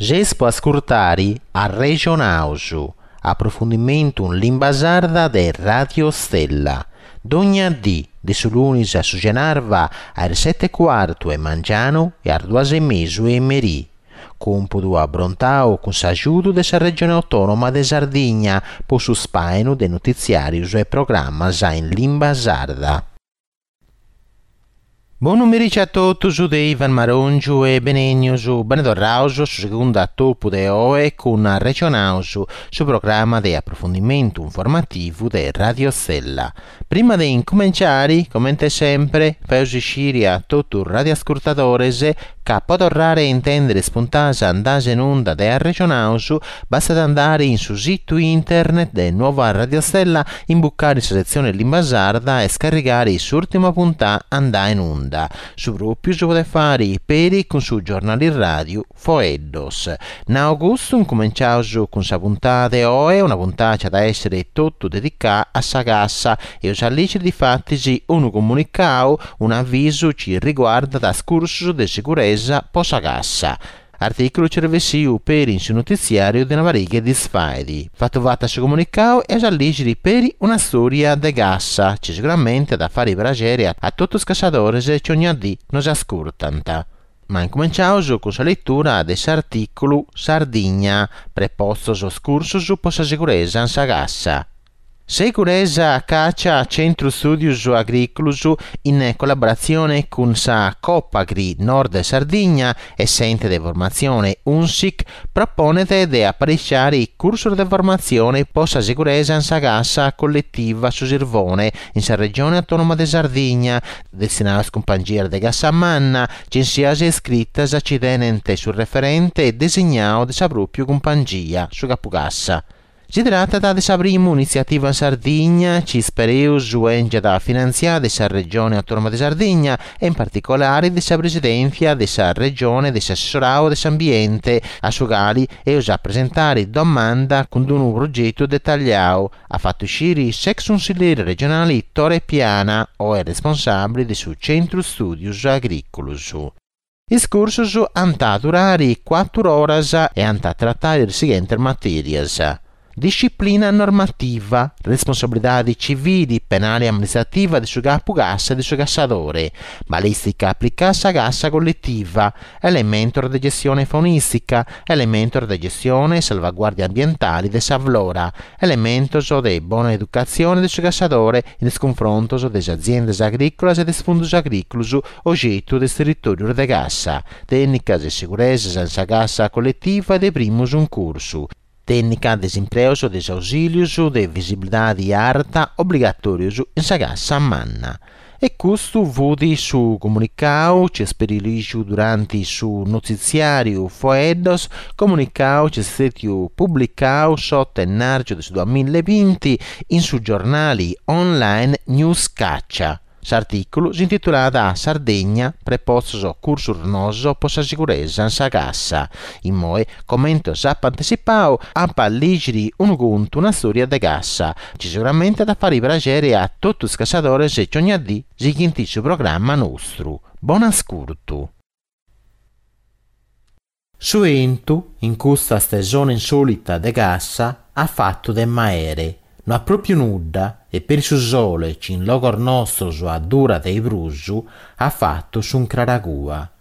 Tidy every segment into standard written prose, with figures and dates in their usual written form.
Seis po ascurtari Arrexonaus, aprofundimentu in limba sarda de Radio Stella. Dogna dì, de su lunis a su cenarba, a is seti e cuartu 'e mangianu e a is duas e mesu 'e merì. Cumpudu abrontau cun s'agiudu de sa Regione Autònoma de Sardigna po su spàinu de notitziàrius e programmas in limba sarda. Bonu merici a totus de Ivan Marongiu e benènnius, bene torraus a su segundu atopu de oe cun Arrexonaus, su programma de aprofundimentu informativu de Radio Stella. Prima de incumenciari, comente sempre, faeus isciri a totu is radioascurtadores ca po torrare a intendere is puntadas andadas in unda de Arrexonaus bastat andare in su situ internet de Nuova Radio Stella, imbucare in sa setzione Limba Sarda e scarrigare s'ùrtima puntà andà in unda. Su pròpiu si podet fare peri cun su giornali ràdiu Foeddos. Nau custu, incumenciaus cun sa puntada de oe, una puntada chi at a èssere totu dedicà a sa cassa. Eus a lìgiri difatis unu comunicau, un'avisu chi riguardat is cursus de seguresa po sa cassa. Artìculu chi est bessiu peri in su notitziàriu de una pariga 'e dis fait. Fatu fatu a su comunicau eus a lìgiri peri una stòria de cassa chi seguramente at a fari praxeri a totu is cassadores chi ogna dì nos ascurtant. Ma incumenciaus cun sa letura de s'artìculu Sardigna, prepostos cursus po sa seguresa in sa cassa. Seguresa Caccia Centru Stùdius Agrìculus in collaboratzione cun sa Copagri Nord Sardigna e s'ente de formatzione Unsic proponet de apariciare cursos de formatzione po sa seguresa in sa cassa colletiva Su Sirvone in sa Regione Autònoma de Sardigna Destinaus a is cumpangias de cassa manna, censias iscritas chi tenent su referente designau de sa pròpiu cumpangia, su capucassa. Si tratat de sa primu initziativa in Sardigna chi ispereus 'èngiat finantziada de sa Regione Autònoma de Sardigna e in particolare de sa Presidèntzia de sa Regione de s'Assessorau de s'Ambiente, a su cali eus a presentare domanda cun unu progetu detalliau, At fatu isciri s'ex cunsilleri regionali Tore Piana, oe responsàbili de su Centru Stùdius Agrìculus. Is cursus ant a durari cuàturu oras e ant a tratari is sighentes matèrias, disciplina normativa, responsabilidade civili, penale e amministrativa de su capu cassa e de su cassadore, balìstica aplicada a sa cassa colletiva, elementos de gestione faunìstica, elementos de gestione e salvaguàrdia ambientale de sa flora, elementos de bona educatzione de su cassadore in is cunfrontos de is aziendas agrìculas e de is fundos agrìculos ogetu de is territòrios de cassa, tènnicas e seguresas in sa cassa colletiva e de primu suncursu, tènnica de is impreos de is ausìlios de visibilidade arta obligatòrios in sa cassa manna. E custu fut su comunicau chi est peri lìgiu duranti su notitziàriu Foeddos, comunicau chi est stètiu publicau s'otu 'e ennàrgiu de su duamilla e binti in su giornali online News Caccia. S'artìculu s'intitulat Sardegna, prepostos cursos noos po sa siguresa in sa cassa. Immoe, comente s'apo antitzipau, apo a lìgiri unu contu, una stòria de cassa, chi seguramente at a fari praxeri a totu is cassadores chi ogna dì sighint su programma nostru. Bon'ascurtu! Su 'entu, in custa stesone insòlita de cassa, at fatu de maere. No at pròpiu nudda e peri su sole chi in logos nostros addurat de prus, at fatu s'uncraracua.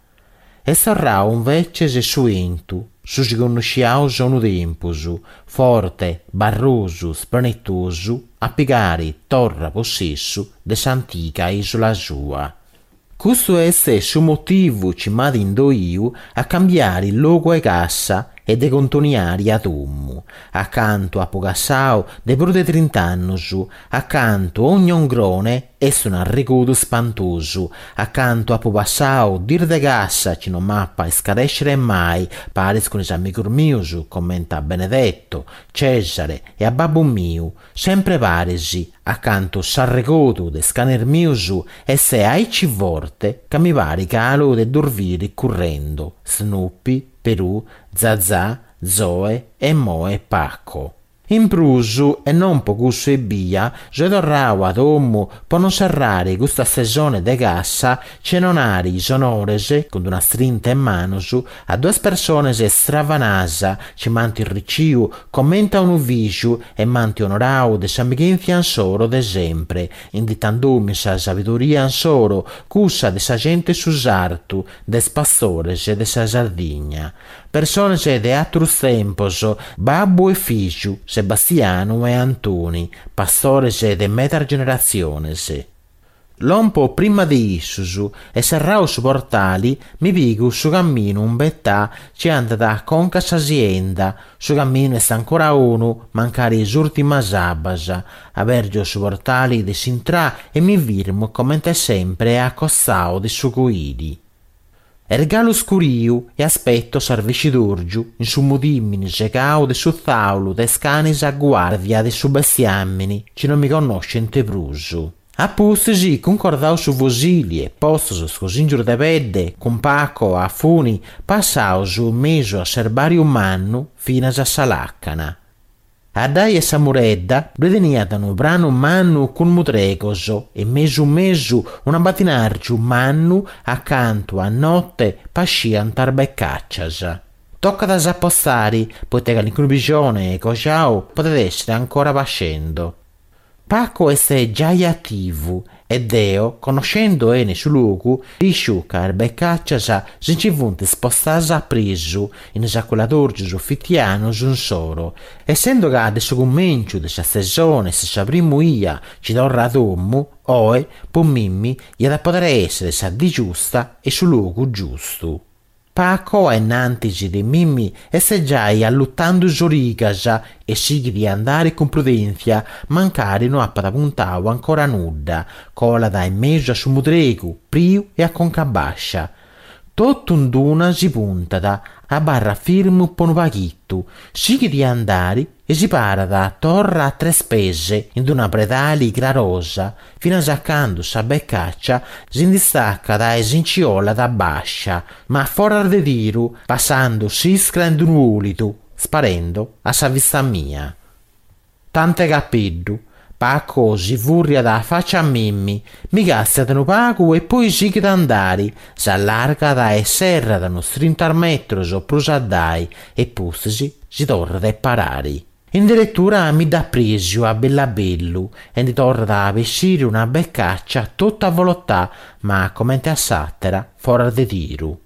Est torrau inveces su 'entu, su chi connosciaus unu tempus, forte, barrosu, spranetosu, a pigare torra possessu de s'antiga isula sua. Custu est su motivu chi m'at indoiu a cambiare logu 'e cassa e de contoniare a domu, acantu apo cassau de prus de trint'annus, acantu ogni ungrone est un'arregodu spantosu, acantu apo passau dis de cassa chi no m'apo a iscarèscere mai, paris cun is amigus mius comente a Benedetto, Cesare e a babbu miu, Sempre paris, acantu s'arregodu de is canes mius est aici forte ca mi parit galu de ddus biri currendo, Snoopy, Perù, Zazà, Zoe e immoe Paco. In prus, e non po cussu ebbia, soe torrau a domu po non serrare custa stesone de cassa chene 'onare is onores, cun d'una strinta 'e manos, a duas persones stravanas chi m'ant riciu comente a unu fìgiu e m'ant onorau de s'amighèntzia insoro de sempre, inditandomi sa sabidoria insoro, cussa de sa gente 'e su sartu, de is pastores de sa Sardigna. Persones de àteros tempos, babbu e fìgiu, Sebastianu e Antoni, pastores de medas generatziones. Lompo prima de issos e serrau su portali mi pigo su camminu imbetà chi andat a conca a sa sienda, su camminu est ancora 'onu mancari is ùrtimas abbas, abèrgio su portali de s'intrà e mi firmo comente sempre a costau de su coili. Est galu scuriu e aspetto s'arvescidòrgiu in su mudìmini segau de su tzàulu de is canis a guàrdia de su bestiàmini chi non mi connoscent prus. A pustis, cuncordaus su fosili e postos is cosìngius de pedde, cun Paco a funi, passaus in mesu a s'erbàriu mannu finas a sa làcana. Addai 'e sa muredda ddue teniat unu pranu mannu cun mudregos e mesu mesu un'abbatinàrgiu mannu acantu a note pasciant is becàcias. Tocat a s'apostare, poite calincunu pixone cojau podet èssere ancora pascendo. Paco est giai ativu e deo, connoschendo 'ene su logu, isciu ca is becàcias si nci funt spostas a presu in is aculadòrgius fitianus insoro. Essendo ca de su cumènciu de sa stesone est sa primu 'ia chi torro a domu, oe, po mimmi, iat a podere èssere sa dì giusta e su logu giustu. Paco a innantis de mimmi est giai allutando is origas e sighit a andare cun prudèntzia, mancari no apat puntau ancora nudda, colat in mesu a su mudregu, priu e a conca bàscia. Totu in d'una si puntat, abarrat firmu po unu paghitu, sighit a andare e si parat torra a tres pes in d'una predali crarosa, finas a candu sa becàcia si nd'istacat e si nci 'olat bàscia, ma foras de tiru, passando s'iscra in d'unu 'òlidu, sparendo a sa vista mia. Tant'e capeddu, Paco si fùrriat a faci a mimmi, mi càstiat unu pagu e poi sighit a andari, s'allargat e serrat unos trinta metros prus addai e pustis si torrat a parari. In deretura mi dd'aprèsiu a bellu a bellu e ndi torrat a bessiri una becàcia totu avolotà, ma comente a s'àtera foras de tiru.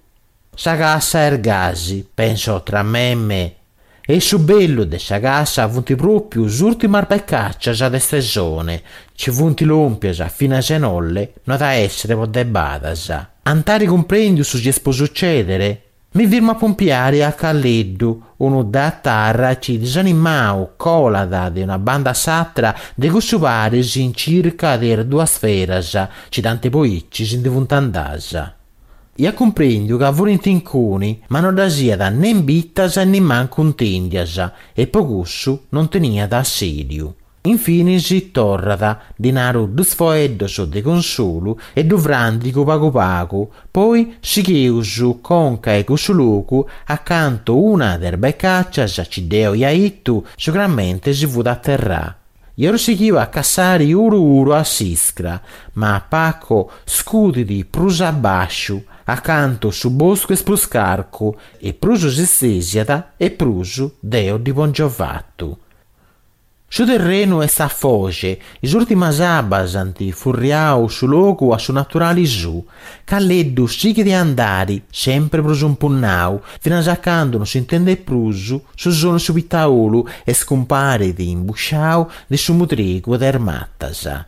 Sa cassa est gasi, penso tra me e me. E su bellu de sa cassa funt pròpiu is ùrtimas becàcias de stesone, chi funt lòmpias finas a inolle no at a èssere po de badas. Ant àere cumprèndiu su chi est po sutzèdere? Mi firmo a pompiare a Calleddu, unu datarra chi disanimau colat de una banda a s'atra de cussu paris in circa de is duas feras chi tanti po aici si ndi funt andas. Iat cumprendiu ca furint incuni, ma no ddas iat nen bitas e nimancu intendias e po cussu non teniat assèliu. Infinis torrat, ddi naru dus foeddos de consolu e ddu frandigu pagu pagu, poi sigheus conca 'e cussu logu acantu una de is becàcias chi deo ia 'itu seguramente si fut aterrà. Eus sighiu a cassare uru uru a s'iscra, ma Paco scudit prus a bàsciu, acantu su boscu est prus carcu e prus si stesiat e prus deo ddi pongio fatu. Su terrenu est a foge, is ùrtimas abbas ant furriau su logu a su naturali suu. Calleddu sighit a andari, sempri prus impunnau, finas a candu non s'intendet prus su sonu 'e su pitaolu e scumparit imbusciau de su mudregu de is matas.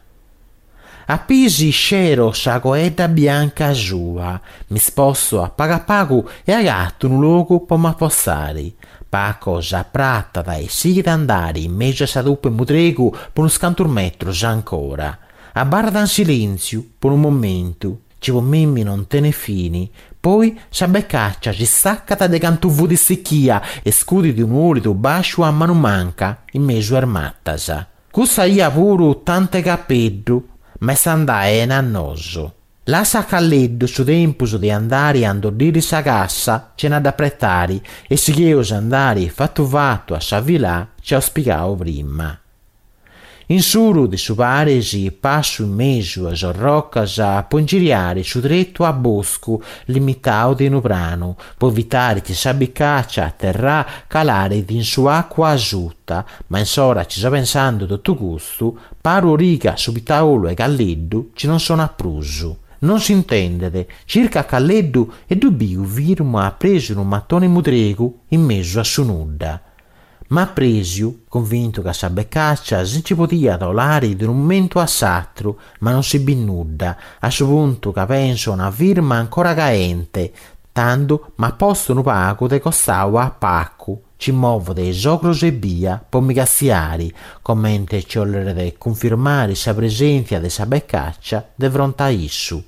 A pisi scero sa coedda bianca sua, mi sposto a pagu a pagu e agatu unu logu po m'apostare. Paco s'apratat e sighit a andare in mesu a sa tupa 'e mudregu po unos cantos metros ancora. Abarrat in silentziu po unu momentu, chi po mimmi non tenet fini, poi sa becaccia si staccat de cantu fut istichia e scudit unu 'olidu basciu a manu manca in mesu a is matas. Cussa 'ia puru tant'e capeddu, ma est andà 'ene a nosu. Lassa a Calleddu su tempus de andari a indoddiri sa cassa chena dd'apretari e sigheus a andari fatu fatu a sa filà chi aus pigau prima. In s'uru de su paris passu in mesu a is orrocas po ingiriari su tretu a boscu limitau de unu pranu po evitari chi sa bicàcia a terra calaret in su àcua asuta, ma in s'ora chi so pensando totu custu, paro origa a su pitaolu 'e Calleddu chi non sonat prus. Non s'intendet, circo a Calleddu e ddu biu firmu a presu unu matone mudregu in mesu a su nudda. M'aprèsiu, cunvintu ca sa becàcia si nci podiat 'olare de unu momentu a s'atru, ma non si bit nudda, a su puntu ca penso a una firma ancora caente, tando m'aposto unu pagu de costau a Pacu, chi movet is ogros ebbia po mi castiare, comente chi 'olleret cunfirmare sa presèntzia de sa becàcia de fronte a issu.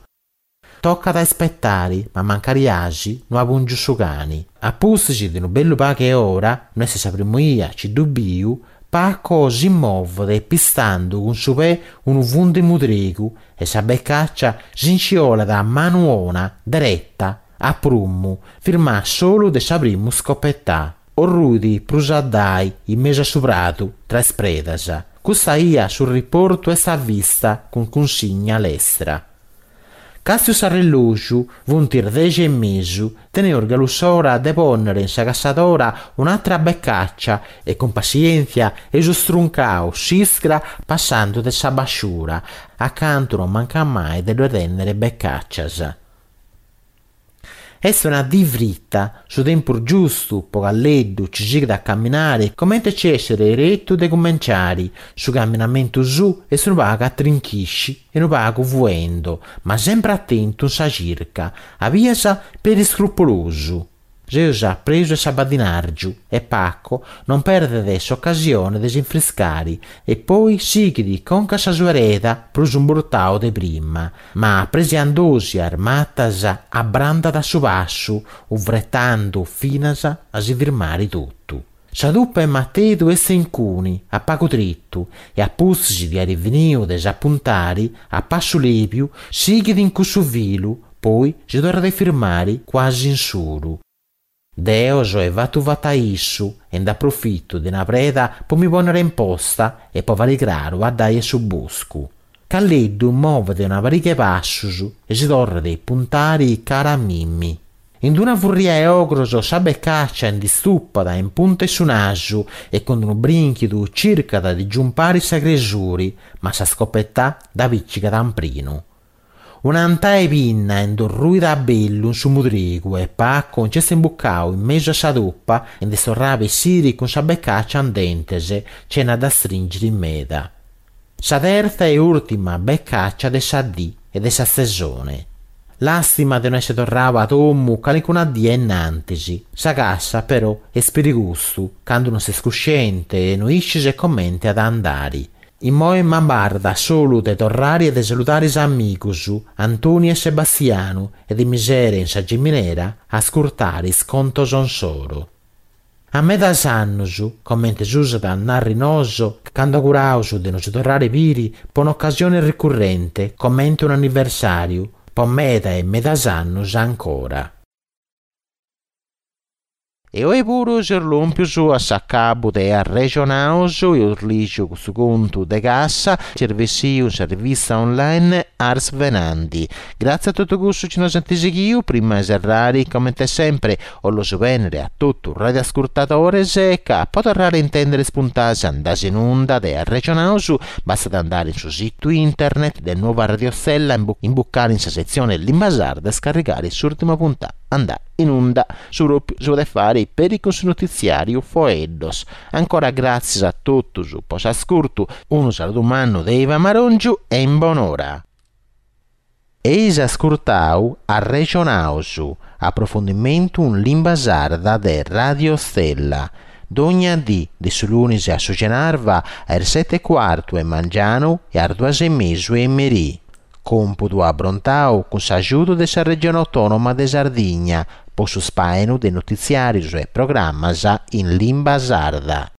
Tocat a ispetare, ma mancari asi no apùngio su cani. A pustis de unu bellu pagu 'e ora, no est sa primu 'ia chi ddu biu, Paco si movet pistando cun su pè unu fundu 'e mudregu e sa becàcia si nci 'olat a manu 'ona, dereta, a prumu, firmà solu de sa primu scopetà. Orruit prus addai, in mesu a su pradu, tra is predas. Custa 'ia su riportu est a vista cun cunsigna lestra. Càstiu s'arrellògiu, funt is dexi e mesu, teneus galu s'ora de pònnere in sa cassadora un'àtera becàcia e cun passièntzia eus struncau s'iscra passando de sa basciura, acantu non mancat mai de ddoe tènnere becàcias. Est una dì frita, su tempus giustu po Calleddu chi sighit a camminare comente chi esseret eretu de cumenciare, su camminamentu suu est unu pagu a trinchisci e unu pagu fuendo, ma sempre atentu in sa circa, a bias peri scrupolosu. Seus a presu 'e s'abbadinàrgiu e Paco non perdet s'ocasione de s'infriscare e poi sighit conca a sa sua ereda prus imburtau de prima, ma apresiandosi a is matas abrandat su passu, ufretando finas a si firmare totu. Sa tupa 'e matedu est incuni, a pagu tretu, e a pustis de àere finiu de s'apuntare, a passu lèbiu, sighit in cussu filu, poi si torrat a firmare cuasi in s'oru. Deo soe fatu fatu a issu e nd'aprofito de una preda po mi pònnere in posta e po fàere craru addai 'e su boscu. Calleddu movet una pariga 'e passos e si torrat a puntare cara a mimmi. In d'una furria 'e ogros sa becàcia nd'istupat in punta 'e su nasu e cun unu brìnchidu circat de giumpare sa cresuri, ma sa scopetà dda pìcigat amprinu. Un'antà 'e pinna nd'orruit a bellu in su mudregu e Paco nch'est imbucau in mesu a sa tupa e nd'est torrau a bessiri cun sa becàcia in dentes, chena dda stringiri meda. Sa tertza e ùrtima becàcia de sa dì e de sa stesone. Làstima de no essi torrau a domu calincuna die innantis. Sa cassa però est peri custu, candu no ses cusciente e no iscis comente at a andari. Immoe m'abarrat solu de torrare e de saludare is amigos, Antoni e Sebastianu, e de mi sere in sa giminera a ascurtare is contos insoro. A medas annos, comente s'usat a narri noso, cando auguraus de nos torrare biri po un'ocasione ricurrente, comente un'anniversàriu, po meda e medas annos ancora. E oi puru seus lòmpius a s'acabu de Arrexonaus, eus lìgiu custu contu de cassa chi est bessiu in sa rivista online Ars Venandi. Gràtzias a totu cussus chi nos ant sighiu, prima 'e serrare, comente sempre, 'ollos bènnere a totu radioascurtadores ca po torrare a intèndere is puntadas andadas in unda de Arrexonaus bastat andare in su situ internet de Nuova Radio Stella, imbucare in sa setzione Limba Sarda e scarrigare s'ùrtima puntada andada in unda. Su pròpiu si podet fàere peri cun su notitziàriu Foeddos. Ancora gràtzias a totus po s'ascurtu, unu saludu mannu de Ivan Marongiu e in bonora. Eis ascurtau Arrexonaus, aprofondimentu in limba sarda de Radio Stella. Dogna dì, de su lunis a su cenarba, a is seti e cuartu 'e mangianu e a is duas e mesu 'e merì. Còmpudu abrontau cun s'agiudu de sa Regione Autònoma de Sardigna po su spàinu de notitziàrius e programmas in limba sarda.